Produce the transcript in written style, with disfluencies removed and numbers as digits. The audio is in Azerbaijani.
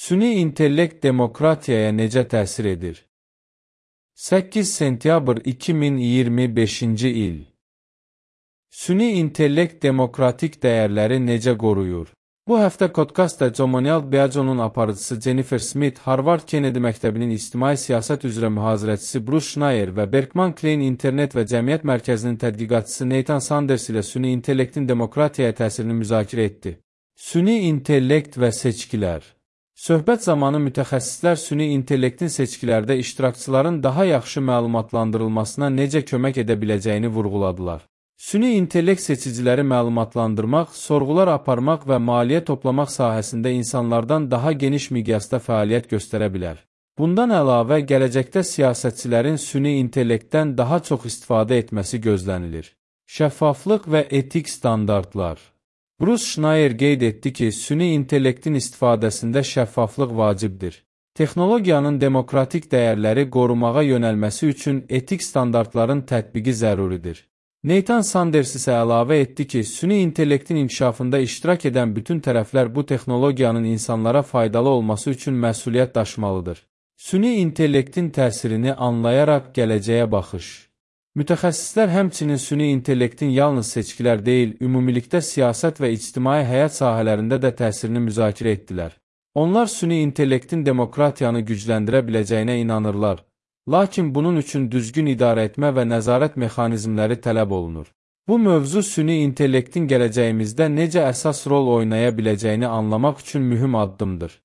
Süni intellekt demokratiyaya necə təsir edir? 8 sentyabr 2025-ci il. Süni intellekt demokratik dəyərləri necə qoruyur? Bu həftə podkastda Comonial Biaconun aparıcısı Jennifer Smith, Harvard Kennedy Məktəbinin İctimai Siyasət üzrə mühazirəçisi Bruce Schneier və Berkman Klein İnternet və Cəmiyyət Mərkəzinin tədqiqatçısı Nathan Sanders ilə süni intellektin demokratiyaya təsirini müzakirə etdi. Süni intellekt və seçkilər. Söhbət zamanı mütəxəssislər süni intellektin seçkilərdə iştirakçıların daha yaxşı məlumatlandırılmasına necə kömək edə biləcəyini vurğuladılar. Süni intellekt seçiciləri məlumatlandırmaq, sorğular aparmaq və maliyyə toplamaq sahəsində insanlardan daha geniş miqyasda fəaliyyət göstərə bilər. Bundan əlavə, gələcəkdə siyasətçilərin süni intellektdən daha çox istifadə etməsi gözlənilir. Şəffaflıq və etik standartlar. Bruce Schneier qeyd etdi ki, süni intellektin istifadəsində şəffaflıq vacibdir. Texnologiyanın demokratik dəyərləri qorumağa yönəlməsi üçün etik standartların tətbiqi zəruridir. Nathan Sanders isə əlavə etdi ki, süni intellektin inkişafında iştirak edən bütün tərəflər bu texnologiyanın insanlara faydalı olması üçün məsuliyyət daşımalıdır. Süni intellektin təsirini anlayaraq gələcəyə baxış. Mütəxəssislər həmçinin süni intellektin yalnız seçkilər deyil, ümumilikdə siyasət və ictimai həyat sahələrində də təsirini müzakirə etdilər. Onlar süni intellektin demokratiyanı gücləndirə biləcəyinə inanırlar, lakin bunun üçün düzgün idarə etmə və nəzarət mexanizmləri tələb olunur. Bu mövzu süni intellektin gələcəyimizdə necə əsas rol oynaya biləcəyini anlamaq üçün mühüm addımdır.